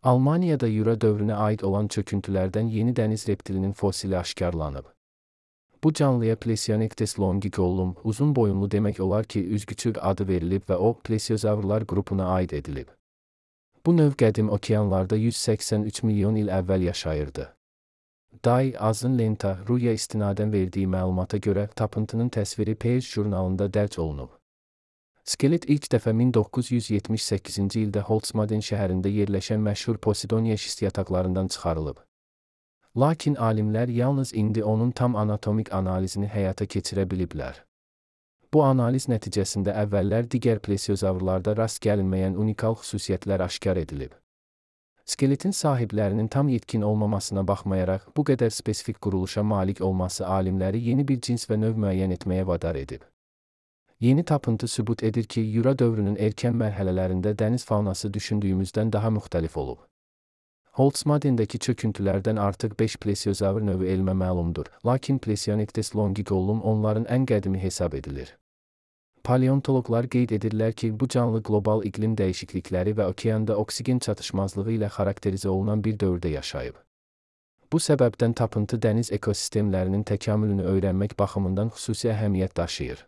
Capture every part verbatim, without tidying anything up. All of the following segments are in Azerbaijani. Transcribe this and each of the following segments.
Almaniyada Jura dövrünə aid olan çöküntülərdən yeni dəniz reptilinin fosili aşkarlanıb. Bu canlıya Plesionectes longicollum, uzun boyunlu demək olar ki, üzgüçü adı verilib və o, plesiozavrlar qrupuna aid edilib. Bu növ qədim okeanlarda yüz səksən üç milyon il əvvəl yaşayırdı. Day, Azın Lenta, Ruya istinadən verdiyi məlumata görə tapıntının təsviri Page jurnalında dərc olunub. Skelet ilk dəfə min doqquz yüz yetmiş səkkizinci ildə Holzmaden şəhərində yerləşən məşhur Posidonia şist yataqlarından çıxarılıb. Lakin alimlər yalnız indi onun tam anatomik analizini həyata keçirə biliblər. Bu analiz nəticəsində əvvəllər digər plesiozavrlarda rast gəlinməyən unikal xüsusiyyətlər aşkar edilib. Skeletin sahiblərinin tam yetkin olmamasına baxmayaraq, bu qədər spesifik quruluşa malik olması alimləri yeni bir cins və növ müəyyən etməyə vadar edib. Yeni tapıntı sübut edir ki, Jura dövrünün erkən mərhələlərində dəniz faunası düşündüyümüzdən daha müxtəlif olub. Holzmadendəki çöküntülərdən artıq beş plesiozavr növü elmə məlumdur, lakin Plesionectes longicollum onların ən qədimi hesab edilir. Paleontoloqlar qeyd edirlər ki, bu canlı qlobal iqlim dəyişiklikləri və okeanda oksigen çatışmazlığı ilə xarakterizə olunan bir dövrdə yaşayıb. Bu səbəbdən tapıntı dəniz ekosistemlərinin təkamülünü öyrənmək baxımından xüsusi əhəmiyyət daşıyır.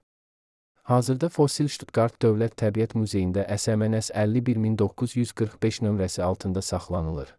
Hazırda fosil Stuttgart Dövlət Təbiət Muzeyində S M N S əlli bir min doqquz yüz qırx beş nömrəsi altında saxlanılır.